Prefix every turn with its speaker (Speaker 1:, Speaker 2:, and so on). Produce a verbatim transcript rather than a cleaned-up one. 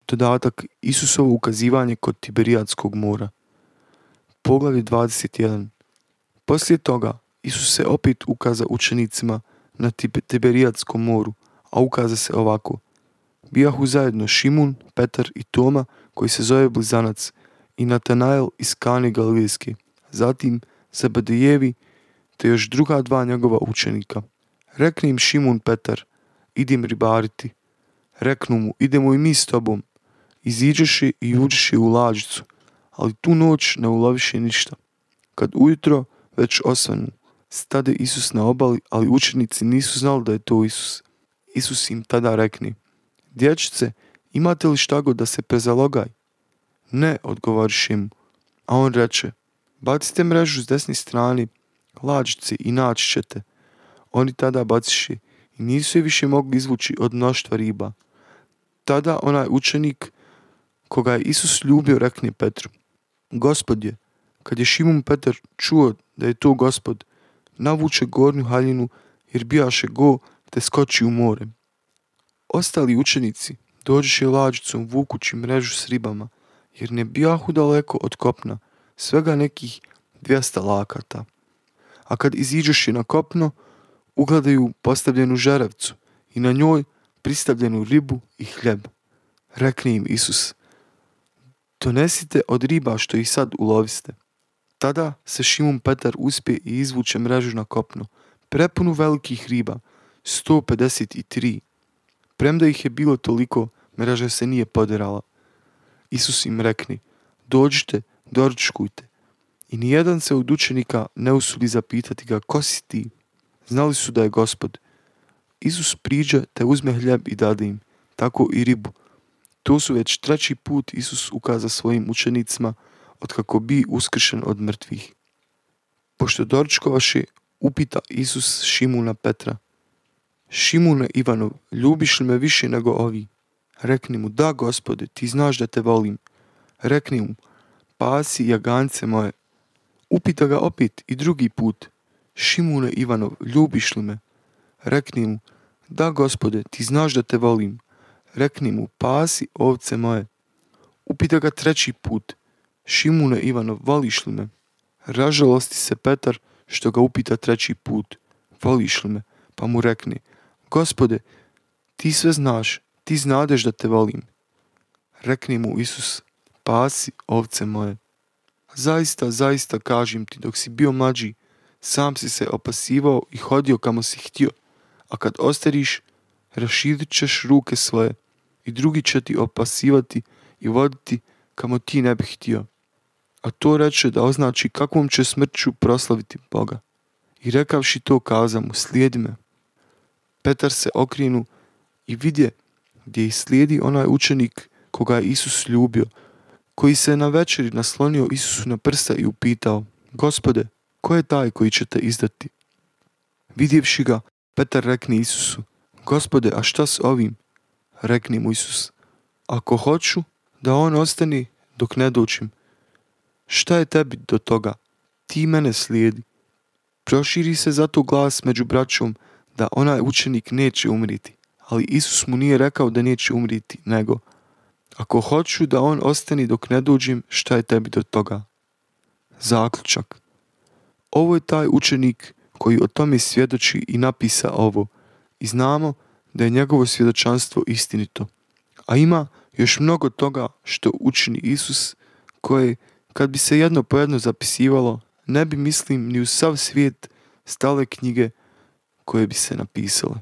Speaker 1: dodatak Isusovo ukazivanje kod Tiberijadskog mora. Poglavlje dvadeset jedan. Poslije toga Isus se opet ukaza učenicima na Tiberijadskom moru, a ukaza se ovako. Bijahu zajedno Šimun, Petar i Toma, koji se zove Blizanac, i Natanael iz Kane Galilejske, zatim Zebedejevi, te još druga dva njegova učenika. Rekne im Šimun Petar, idim ribariti. Reknu mu, idemo i mi s tobom. Iziđeši i uđeši u lađicu, ali tu noć ne uloviše ništa. Kad ujutro već osvanu, stade Isus na obali, ali učenici nisu znali da je to Isus. Isus im tada rekne, dječice, imate li šta god da se prezalogaj? Ne, odgovoriše mu. A on reče, bacite mrežu s desne strane lađice i naći ćete. Oni tada baciše i nisu je više mogli izvući od mnoštva riba. Tada onaj učenik koga je Isus ljubio rekne Petru, Gospodje, kad je Šimun Petar čuo da je to Gospod, navuče gornju haljinu jer bijaše go te skoči u more. Ostali učenici dođeše lađicom vukući mrežu s ribama, jer ne bijahu daleko od kopna, svega nekih dvjesto lakata. A kad iziđeše na kopno, ugledaju postavljenu žerevcu i na njoj pristavljenu ribu i hljeb. Rekne im Isus, donesite od riba što ih sad uloviste. Tada se Šimun Petar uspije i izvuče mrežu na kopno, prepunu velikih riba, sto pedeset tri. Premda ih je bilo toliko, mreža se nije poderala. Isus im rekne, dođite, doručkujte. I nijedan se od učenika ne usudi zapitati ga, ko si ti? Znali su da je Gospod. Isus priđe te uzme hljeb i dade im, tako i ribu. To su već treći put Isus ukaza svojim učenicima otkako bi uskršen od mrtvih. Pošto doručkovaše, upita Isus Šimuna Petra, Šimune Ivanov, ljubiš li me više nego ovi? Rekni mu, da Gospode, ti znaš da te volim. Rekni mu, pasi jagance moje. Upita ga opet i drugi put, Šimune Ivanov, ljubiš li me? Rekni mu, da Gospode, ti znaš da te volim. Rekni mu, pasi ovce moje. Upita ga treći put, Šimune Ivanov, voliš li me? Ražalosti se Petar što ga upita treći put, voliš li me? Pa mu rekne, Gospode, ti sve znaš, ti znadeš da te volim. Rekni mu Isus, pasi ovce moje. Zaista, zaista kažem ti, dok si bio mlađi, sam si se opasivao i hodio kamo si htio, a kad ostariš, raširit ćeš ruke svoje i drugi će ti opasivati i voditi kamo ti ne bi htio. A to reče da označi kakvom će smrću proslaviti Boga. I rekavši to kaza mu, slijedi me. Petar se okrenu i vidje gdje ih slijedi onaj učenik koga je Isus ljubio, koji se na večeri naslonio Isusu na prsta i upitao, Gospode, ko je taj koji će te izdati? Vidjevši ga, Petar rekne Isusu, Gospode, a šta s ovim? Rekni mu Isus, ako hoću da on ostane dok ne dođem, šta je tebi do toga? Ti mene slijedi. Proširi se zato glas među braćom da onaj učenik neće umriti, ali Isus mu nije rekao da neće umriti, nego ako hoću da on ostane dok ne dođem, šta je tebi do toga? Zaključak. Ovo je taj učenik koji o tome svjedoči i napisa ovo i znamo da je njegovo svjedočanstvo istinito. A ima još mnogo toga što učini Isus koje, kad bi se jedno po jedno zapisivalo, ne bi, mislim, ni u sav svijet stale knjige koje bi se napisale.